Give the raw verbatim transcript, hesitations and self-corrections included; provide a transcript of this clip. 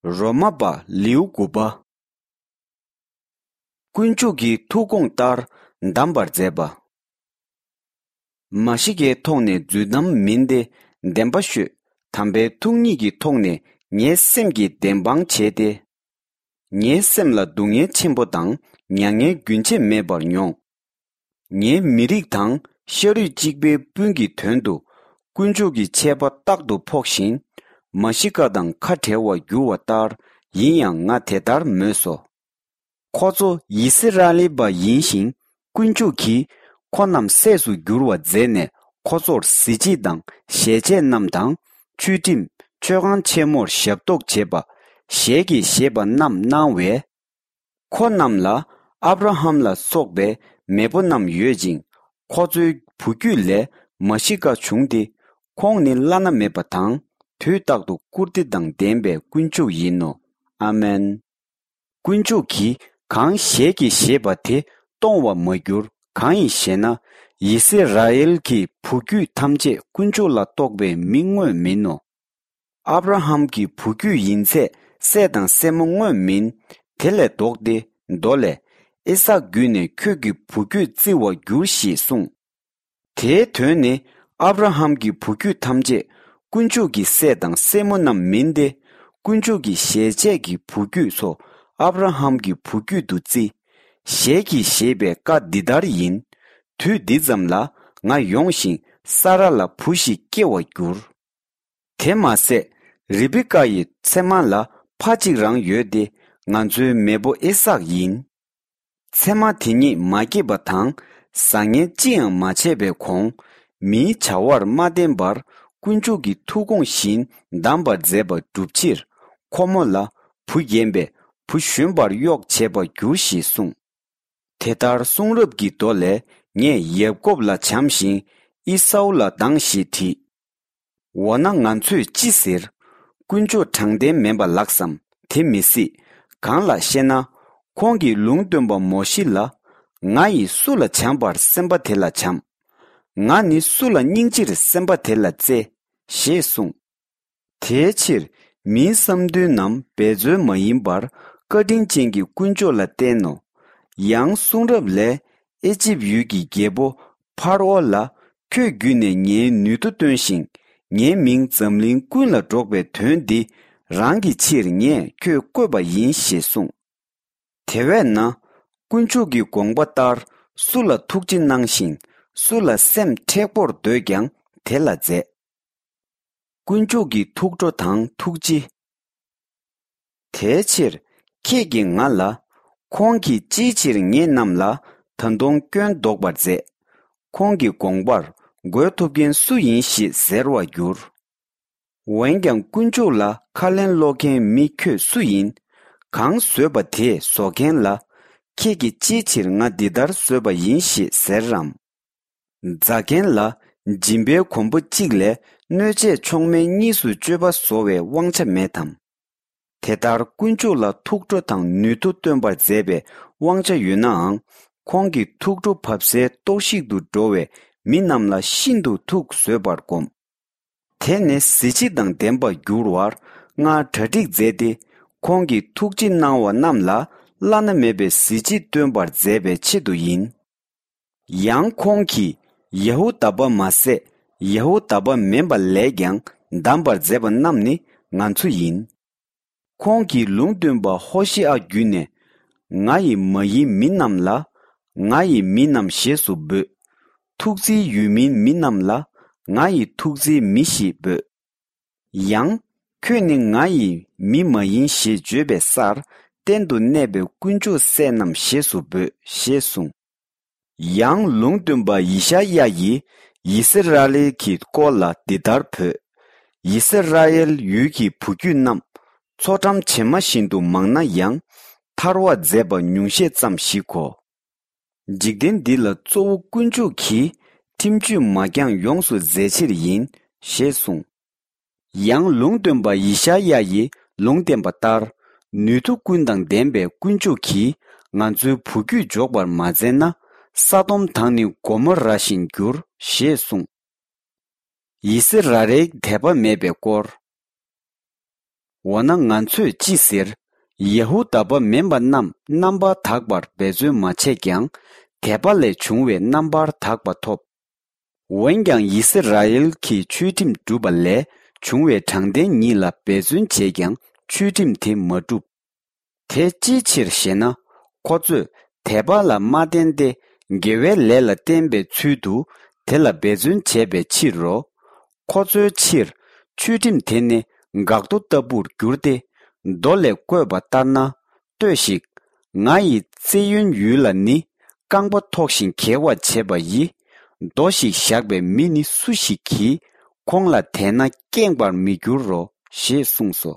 རོ་མ་པ་ལེའུ་དགུ་པ། དཀོན་མཆོག་གི་ཐུགས་དགོངས་ལྟར་བདམས་པར་མཛད་པ། མ་ཤི་ཀའི་ཐོག་ནས་རྫུན་གཏམ་མིན་ཏེ་བདེན་པ་ཤོད། དམ་པའི་ཐུགས་ཉིད་ཀྱི་ཐོག་ནས་ངའི་སེམས་ཀྱི་བདེན་དཔང་བྱས་ཏེ། ངའི་སེམས་ལ་སྡུག་བསྔལ་ཆེན་པོ་དང་མྱ་ངན་རྒྱུན་ཆད་མེད་པར་མྱོང་། ངའི་མི་རིགས་དང་ཤ་རུས་གཅིག་པའི་སྤུན་གྱི་དོན་དུ་དཀོན་མཆོག་གི་ཆད་པ་རྟག་ཏུ་ཕོག་བཞིན། མ་ཤི་ཀ་དང་ཁ་བྲལ་བར་འགྱུར་བ་ལྟར་ཡིན་ཡང་ང་དེ་ལྟར་མོས་སོ། ཁོ་ཚོ་ཡི་སི་ར་ཨེལ་པ་ཡིན་ཞིང་དཀོན་མཆོག་གིས་ཁོ་རྣམས་སྲས་སུ་འགྱུར་བ་མཛད་ནས་ཁོ་ཚོར་གཟི་བརྗིད་དང་ཞལ་ཆད་རྣམས་དང་ཆོས་ཁྲིམས་མཆོད་ཁང་ཆེན་མོར་ཞབས་ཏོག་བྱེད་པ་ཞལ་གྱིས་བཞེས་པ་རྣམས་གནང་བས། ཁོ་རྣམས་ལ་ཨབ་ར་ཧམ་ལ་སོགས་པའི་མེས་པོ་རྣམས་ཡོད་ཅིང་ཁོ་ཚོའི་བུ་རྒྱུད་ལས་མ་ཤི་ཀ་བྱུང་སྟེ་ཁོང་ནི་བླ་ན་མེད་པ་དང་དུས་རྟག་ཏུ་བཀུར་སྟི་དང་ལྡན་པའི་དཀོན་མཆོག་ཡིན་ནོ། ཨ་མེན། དཀོན་མཆོག་གིས་གང་ཞལ་གྱིས་བཞེས་པ་དེ་སྟོང་བར་མ་གྱུར་གང་ཡིན་ཞེ་ན། ཡི་སི་ར་ཨེལ་གྱི་བུ་རྒྱུད་ཐམས་ཅད་དཀོན་མཆོག་ལ་གཏོགས་པའི་མི་དངོས་མིན་ནོ། ཨབ་ར་ཧམ་གྱི་བུ་རྒྱུད་ཡིན་ཚད་སྲས་དང་སྲས་མོ་དངོས་མིན། དེ་ལས་ལྡོག་སྟེ་མདོ་ལས། ཨི་སཱག་བརྒྱུད་ནས་ཁྱོད་ཀྱི་བུ་རྒྱུད་བརྩི་བར་འགྱུར་ཞེས་གསུངས། དེའི་དོན་ནི་ཨབ་ར་ཧམ་གྱི་བུ་རྒྱུད་ཐམས་ཅད་དཀོན་མཆོག་གི་སྲས་དང་སྲས་མོ་རྣམས་མིན་ཏེ། དཀོན་མཆོག་གི་ཞལ་ཆད་ཀྱི་བུ་རྒྱུད་ཚོ་ཨབ་ར་ཧམ་གྱི་བུ་རྒྱུད་དུ་བརྩི། ཞལ་གྱིས་བཞེས་པའི་བཀའ་འདི་ལྟར་ཡིན། དུས་འདི་ཙམ་ལ་ང་ཡོང་ཞིང་ས་ར་ལ་བུ་ཞིག་སྐྱེ་བར་འགྱུར། དེ་མ་ཟད། རི་བི་ཀ་ཡི་མཚེ་མ་ལ་ཕ་གཅིག་རང་ཡོད་དེ་ང་ཚོའི་མེས་པོ་ཨི་སཱག་ཡིན། མཚེ་མ་དེ་ཉིད་མ་སྐྱེས་པ་དང་བཟང་ངན་ཅི་ཡང་མ་བྱས་པའི་གོང་། མིའི་བྱ་བར་མ་བརྟེན་པར་དཀོན་མཆོག་གི་ཐུགས་དགོངས་བཞིན་བདམས་པར་མཛད་པ་བསྒྲུབ་ཕྱིར་ཁོ་མོ་ལ་བུ་རྒན་པས་བུ་གཞོན་པར་གཡོག་བྱེད་པར་འགྱུར་ཞེས་གསུངས། དེ་ལྟར་གསུང་རབ་ཀྱི་མདོ་ལས་ངས་ཡ་ཀོབ་ལ་བྱམས་ཤིང་ཨི་སའུ་ལ་སྡང་ཞེས་བྲིས། འོ་ན་ང་ཚོས་ཅི་ཟེར། དཀོན་མཆོག་དྲང་བདེན་མིན་པ་ལགས་སམ། དེ་མི་སྲིད། གང་ལགས་ཤེ་ན། ཁོང་གིས་ལུང་སྟོན་པ་མོ་ཤི་ལ། ང་ཡིས་སུ་ལ་བྱམས་པར་སེམས་པ་དེ་ལ་བྱམས། ང་ནི་སུ་ལ་སྙིང་རྗེར་སེམས་པ་དེ་ལ་བརྩེ། ཞེས་གསུངས། དེའི་ཕྱིར་མིའི་བསམ་འདུན་ནམ་འབད་རྩོལ་མ་ཡིན་པར་བཀའ་དྲིན་ཅན་གྱི་དཀོན་མཆོག་ལ་བརྟེན་ནོ། ཡང་གསུང་རབ་ལས་ཨེ་ཅིབ་ཡུལ་གྱི་རྒྱལ་པོ་ཕར་ཨོ་ལ་ཁྱོད་བརྒྱུད་ནས་ངའི་ནུས་མཐུ་སྟོན་ཞིང་ངའི་མིང་འཛམ་གླིང་ཀུན་ལ་སྒྲོག་པའི་དོན་འདི་རང་གི་ཕྱིར་ངས་ཁྱོད་བསྐོས་པ་ཡིན་ཞེས་གསུངས། དེ་བས་ན། དཀོན་མཆོག་གི་དགོངས་པ་ལྟར་སུ་ལ་ཐུགས་རྗེ་གནང་ཞིང་སུ་ལ་སེམས་མཁྲེགས་པོར་འདོད་ཀྱང་དེ་ལ་མཛད། དཀོན་མཆོག་གི་ཐུགས་ཁྲོ་དང་ཐུགས་རྗེ། དེའི་ཕྱིར་ཁྱེད་ཀྱིས་ང་ལ། ཁོང་གིས་ཅིའི་ཕྱིར་ངེད་རྣམས་ལ་ད་དུང་སྐྱོན་འདོགས་པར་མཛད། ཁོང་གི་དགོངས་པར་རྒོལ་ཐུབ་མཁན་སུ་ཡིན་ཞེས་ཟེར་བར་འགྱུར། འོན་ཀྱང་དཀོན་མཆོག་ལ་ཁ་ལན་སློག་མཁན་མི་ཁྱོད་སུ་ཡིན། གང་བཟོས་པ་དེས་བཟོ་མཁན་ལ། ཁྱེད་ཀྱིས་ཅིའི་ཕྱིར་ང་འདི་ལྟར་བཟོས་པ་ཡིན་ཞེས་ཟེར་རམ། རྫ་མཁན་ལ་འཇིམ་པའི་གོང་བུ་གཅིག་ལས་སྣོད་ཆས་མཆོག་དམན་གཉིས་སུ་སྤྱོད་པ་བཟོ་བའི་དབང་ཆ་མེད་དམ། དེ་ལྟར་དཀོན་མཆོག་ལ་ཐུགས་ཁྲོ་དང་ནུས་མཐུ་སྟོན་པར་མཛད་པའི་དབང་ཆ་ཡོད་ནའང་ཁོང་གི་ཐུགས་ཁྲོ་བབས་སའི་གཏོར་བཤིག་ཏུ་འགྲོ་བའི་མི་རྣམས་ལ་ཤིན་ཏུ་ཐུགས་བཟོད་པར་བསྒོམ། དེ་ནི་གཟི་བརྗིད་དང་ལྡན་པར་འགྱུར་བར་སྔར་གྲ་སྒྲིག་མཛད་དེ་ཁོང་གིས་ཐུགས་རྗེ་གནང་བ་རྣམས་ལ་བླ་ན་མེད་པའི་གཟི་བརྗིད་སྟོན་པར་མཛད་པའི་ཆེད་དུ་ཡིན། ཡང་ཁོང་གིས་ཡ་ཧུ་དཱ་པ་མ་ཟད་ཡ་ཧུ་དཱ་པ་མིན་པ་ལས་ཀྱང་བདམས་པར་མཛད་པ་རྣམས་ནི་ང་ཚོ་ཡིན། ཁོང་གིས་ལུང་སྟོན་པ་ཧོ་ཤེ་ཨ་བརྒྱུད་ནས། ང་ཡི་མ་ཡིན་མི་རྣམས་ལ། ང་ཡི་མི་རྣམས་ཞེས་སུ་འབོད། ཐུགས་བརྩེའི་ཡུལ་མིན་མི་རྣམས་ལ། ང་ཡི་ཐུགས་བརྩེའི་མི་ཞེས་འབོད། ཡང་། ཁྱོད་ནི་ང་ཡི་མི་མ་ཡིན་ཞེས་བརྗོད་པའི་སར། གཏན་དུ་གནས་པའི་དཀོན་མཆོག་སྲས་རྣམས་ཞེས་སུ་འབོད། ཞེས་གསུངས། ཡང་ལུང་སྟོན་པ་ཡེ་ཤ་ཡ་ཡིས་ཡི་སི་ར་ཨེལ་གྱི་སྐོར་ལ་འདི་ལྟར་བོས། ཡི་སི་ར་ཨེལ་ཡུལ་གྱི་བུ་རྒྱུད་རྣམས། མཚོ་འགྲམ་བྱེ་མ་བཞིན་དུ་མང་ན་ཡང་། ཐར་བར་མཛད་པ་ཉུང་ཤས་ཙམ་ཞིག་གོ། འཇིག་རྟེན་འདི་ལ་གཙོ་བོ་དཀོན་མཆོག་གིས་ཁྲིམས་གཅོད་མ་འགྱངས་ཡོངས་སུ་མཛད་ཕྱིར་ཡིན། ཞེས་གསུངས། ཡང་ལུང་སྟོན་པ་ཡེ་ཤ་ཡ་ཡིས་ལུང་བསྟན་པ་ལྟར། ནུས་མཐུ་ཀུན་དང་ལྡན་པའི་དཀོན་མཆོག་གིས་ང་ཚོའི་བུ་རྒྱུད་འཇོག་པར་མ་མཛད་ན། ས་དོམ་དང་ནི་གོ་མོ་ར་བཞིན་འགྱུར། ཞེས་གསུངས། ཡི་སི་ར་ཨེལ་དད་པ་མེད་པའི་སྐོར། འོ་ན་ང་ཚོས་ཅི་ཟེར། ཡ་ཧུ་དཱ་པ་མིན་པ་རྣམས་རྣམ་པར་དག་པར་འབད་བརྩོན་མ་བྱས་ཀྱང་། དད་པ་ལས་བྱུང་བའི་རྣམ་པར་དག་པ་ཐོབ། འོན་ཀྱང་ཡི་སི་ར་ཨེལ་གྱིས་ཆོས་ཁྲིམས་བསྒྲུབས་པ་ལས་བྱུང་བའི་དྲང་བདེན་ཉིད་ལ་འབད་བརྩོན་བྱས་ཀྱང་ཆོས་ཁྲིམས་དེ་མ་བསྒྲུབས། དེ་ཅིའི་ཕྱིར་ཞེ་ན། ཁོ་ཚོས་དད་པ་ལ་མ་བརྟེན་ཏེ་དགེ་བའི་ལས་ལ་བརྟེན་པའི་ཚུལ་དུ་དེ་ལ་འབད་བརྩོན་བྱས་པའི་ཕྱིར་རོ། ཁོ་ཚོའི་ཕྱིར་ཆོས་ཁྲིམས་དེ་ནི་འགག་རྡོ་ལྟ་བུར་གྱུར་ཏེ། མདོ་ལས་བཀོད་པ་ལྟར་ན། ལྟོས་ཤིག་ང་ཡི་ཙེ་ཡོན་ཡུལ་ལ་ནི་རྐང་པ་ཐོགས་ཤིང་འགྱེལ་བར་བྱེད་པ་ཡི། རྡོ་ཞིག་བཞག་པའི་མི་ནི་སུ་ཞིག་གིས་ཁོང་ལ་དད་ན་སྐྱེངས་པར་མི་འགྱུར་རོ། ཞེས་གསུངས་སོ།